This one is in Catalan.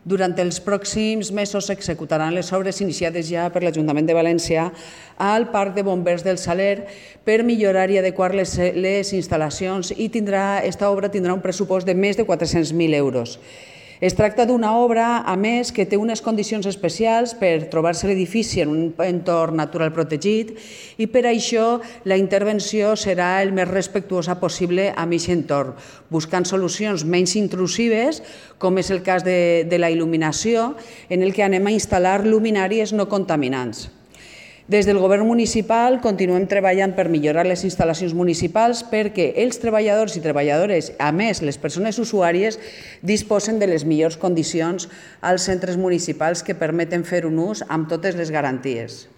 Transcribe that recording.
Durant els pròxims mesos s'executaran les obres iniciades ja per l'Ajuntament de València al Parc de Bombers del Saler per millorar i adequar les instal·lacions i aquesta obra tindrà un pressupost de més de 400.000 euros. Es tracta d'una obra, a més, que té unes condicions especials per trobar-se l'edifici en un entorn natural protegit i per això la intervenció serà el més respectuosa possible amb aquest entorn, buscant solucions menys intrusives, com és el cas de la il·luminació, en el que anem a instal·lar luminàries no contaminants. Des del Govern municipal continuem treballant per millorar les instal·lacions municipals perquè els treballadors i treballadores, a més les persones usuàries, disposen de les millors condicions als centres municipals que permeten fer un ús amb totes les garanties.